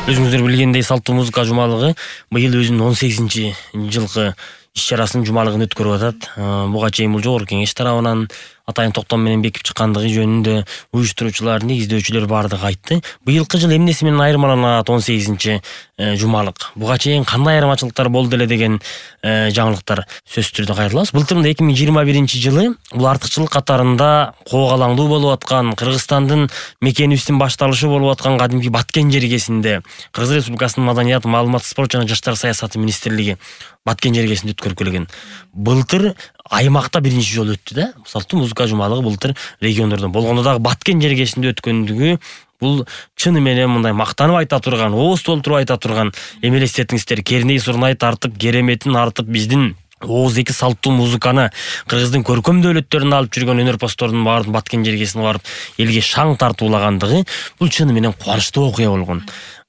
Өзүңүздөр билгендей салттуу музыка жумалыгы быйыл өзүнүн 18-жылкы иш-чарасын жумалыгын өткөрүп атат. Буга чейин бул жогорку кеңеш тарабынан атайын токтом менен бекип чыккандыгы жөнүндө уюштуруучулар, негиздөөчүлөр бардыгы айтты. Быйылкы жыл эмнеси менен айырмаланат 18-жумалык? Буга чейин кандай айырмачылыктар болду эле деген жаңылыктар сөзсүз түрдө кайрылабыз. Былтыр 2021-жылы бул артыкчылык катарында коогалаңдуу болуп аткан, Кыргызстандын мекенибиздин башталышы болуп аткан кадимки Баткен жергесинде Кыргыз Республикасынын Маданият, маалымат, спорт жана жаштар саясаты министрлиги Баткен жергесинде өткөрүп келген. Былтыр аймакта биринчи жолу өттү да. Салттуу музыка жумалыгы былтыр региондордо болгондо дагы Баткен жергесинде өткөндүгү бул чыны менен мындай мактанып айта турган, ооз толтуруп айта турган эмелестетиңиздер. Керней Сурнай тартып, кереметин артып биздин ооз-эки салттуу музыканы Кыргыздын көркөм дөөлөттөрүнө алып жүргөн өнөрпоздордун баарын Баткен жергесине барып элге шаң тартуулагандыгы бул чыны менен кубанычтуу окуя болгон.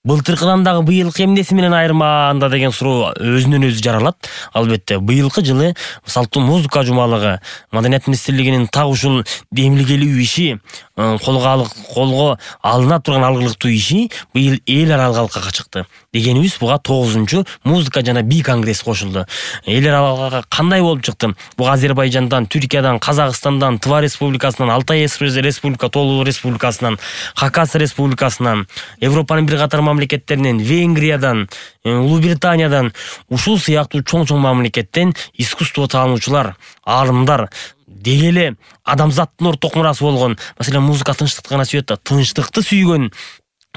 Былтыркыдан дагы быйылкы эмнеси менен айырмаанда деген суроо өзүнөн өзү жаралат. Албетте, быйылкы жылы салттуу музыка жумалыгы Маданият министрлигинин так ушул демилгелүү иши, колго алына турган алгылыктуу иши быйыл эл аралык алкага чыкты. Дегенибиз буга 9-чу музыка жана би конгресс кошулду. Эл аралыкка кандай болуп чыкты? Буга Азербайжандан, Түркиядан, Казакстандан, Тыва республикасынан, Алтай республика, Тоолуу республикасынан, Хакас республикасынан, Европанын бир катар мамлекеттеринен, Венгриядан, Улуу Британиядан, ушул сыяктуу чоң-чоң мамлекеттен искусство таануучулар, аалымдар, деги эле адамзаттын орток мурасы болгон, маселен, музыка тынчтыкты гана сүйөт да, тынчтыкты сүйгөн,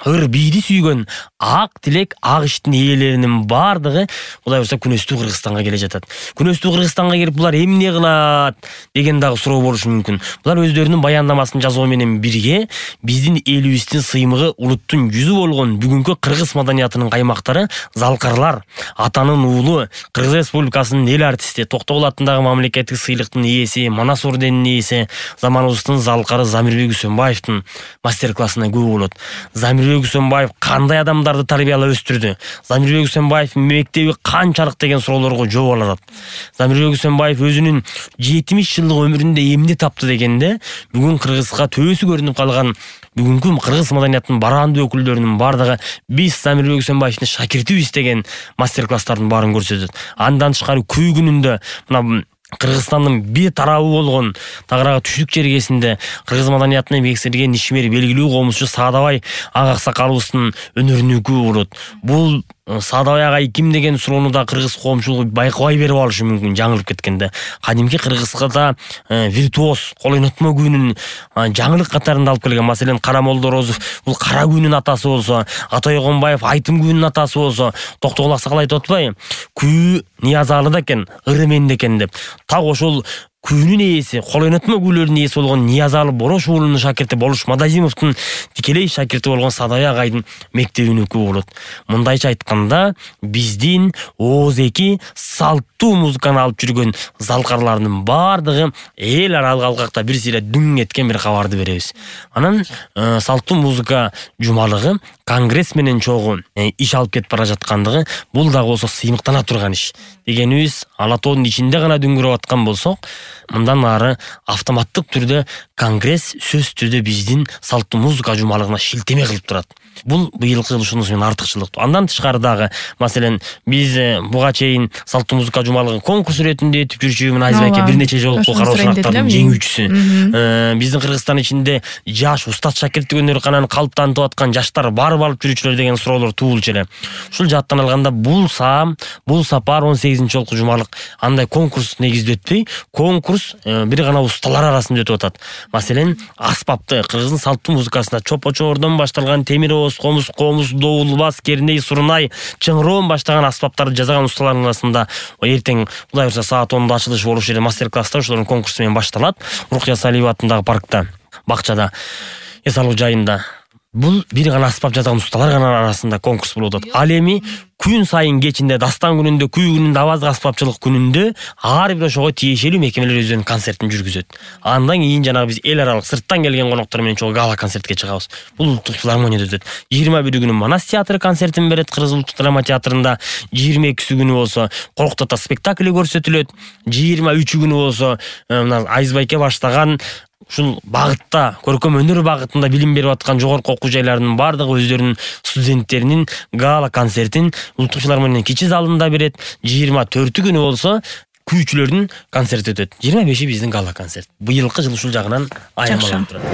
ыр бийди сүйгөн ак тилек, ак иштин ээлеринин бардыгы Кудай буйрса күнөстүү Кыргызстанга келе жатат. Күнөстүү Кыргызстанга келип булар эмне кылат деген дагы суроо болушу мүмкүн. Булар өздөрүнүн баяндамасын жазуу менен бирге биздин элибиздин сыймыгы, улуттун жүзү болгон бүгүнкү кыргыз маданиятынын каймактары, залкарлар, атанын уулу, Кыргыз Республикасынын эл артисти, Токтогул атындагы мамлекеттик сыйлыктын ээси, Манас орденинин ээси, заманыбыздын залкары Замирбек Үсөнбаевдин мастер-классына күбө болот. Замирбек Үсөнбаев кандай адамдарды тарбиялап өстүрдү? Замирбек Үсөнбаев мектеби канчалык деген суроолорго жооп алат. Замирбек Үсөнбаев өзүнүн 70 жылдык өмүрүндө эмне таптı дегенде, бүгүн Кыргызга төбөсү көрүнүп калган бүгүнкү кыргыз маданиятынын барандуу өкүлдөрүнүн бардыгы биз Замирбек Үсөнбаевдин шакиртибиз деген мастер-класстардын баарын көрсөтөт. Андан тышкары күй күнүндө мына Кыргызстандын бир тарабы болгон Тагырага түштүк жергесинде кыргыз маданиятына эмгектенген ишмер белгилүү коомчу Саадабай ага аксакалыбыздын өнөрүнө күбө болот. Бул Саадабай агай ким деген суроону да кыргыз коомчулугу байкабай берип алышы мүмкүн, жаңылып кеткенде. Кадимки Кыргызга виртуоз, кол ойнотмо күүнүн жаңылык катарында алып келген. Маселен, Кара Молдорозов бул кара күүнүн атасы болсо, Атай Огонбаев айтым күүнүн атасы болсо, Токтогул аксакал айтып атпайбы? Күү Ниязалыда экен, ыры менде экен деп. Так ошол күүнүн ээси, кол ойнотмо күүлөрдүн ээси болгон Ниязалы Борош уулунун шакирти Болуш Мадазимовдун тикелей шакирти болгон Саадабай агайдын мектебине күбө болот. Мындайча айтканда, биздин ооз-эки салттуу музыканы алып жүргөн залкарлардын бардыгы эл аралык алкакта бир сыйра дүң эткен бир кабарды беребиз. Анан салттуу музыка жумалыгы конгресс менен чогуу иш алып кетип бара жаткандыгы бул дагы болсо сыймыктана турган иш. Дегенибиз, ала тоонун ичинде гана дүңгүрөп аткан болсок, мындан ары автоматтык түрдө конгресс сөзсүз түрдө биздин салттуу музыка жумалыгына шилтеме кылып турат. Бул быйылкы ушунусу менен артыкчылык. Андан тышкары дагы, маселен, биз буга чейин салттуу музыка жумалыгын конкурс иретинде өтүп жүрчү, мына Айзбайке бир нече жолку кароочулуктардын жеңүүчүсү. Биздин Кыргызстан ичинде жаш устат шакирттик өнөр-кананы калыптантып аткан жаштар барып алып жүрүүчүлөр деген суроолор туулчу эле. Ушул жааттан алганда бул сапар 18-жолку жумалык андай конкурс негизде өтпөй, конкурс бир гана усталар арасында өтүп атат. Маселен, аспапты Кыргыздын салттуу музыкасына чопочордон башталган темир ооз, комуз, доул, бас, керней, сурнай, чыңыроон баштаган аспаптарды жасаган усталардын арасында эртең Кудай буйрса саат 10:00 ачылыш болушу эле мастер-класстар ошолордун конкурсу менен башталат. Рукия Салиева атындагы паркта, бакчада, эс алуу жайында. Бул бир гана аспап жасаган усталар арасында конкурс болуп атат. Ал эми күн сайын кечинде, дастан күнүндө, күй күнүндө, аваздык аспапчылык күнүндө ар бир ошого тиешелүү мекемелер өздөрүнүн концертин жүргүзөт. Андан кийин жанагы биз эл аралык сырттан келген коноктор менен чогуу гала концертке чыгабыз. Бул улуттук филармонияда өтөт. 21 Манас театры концертин берет Кыргыз улуттук драма театрында. 22 күнү болсо Коркуттата спектакли көрсөтүлөт. 23 күнү болсо Айзбайке баштаган ушул багытта, көркөм өнөр багытында билим берип аткан жогорку окуу жайларынын баардыгы өздөрүнүн студенттеринин гала концертин Улуттук филармониянын кичи залында берет. 24 күнү болсо күйчүлөрдүн концерти өтөт. 25 биздин гала концерт. Быйылкы жыл ушул жагынан аябаланып турат.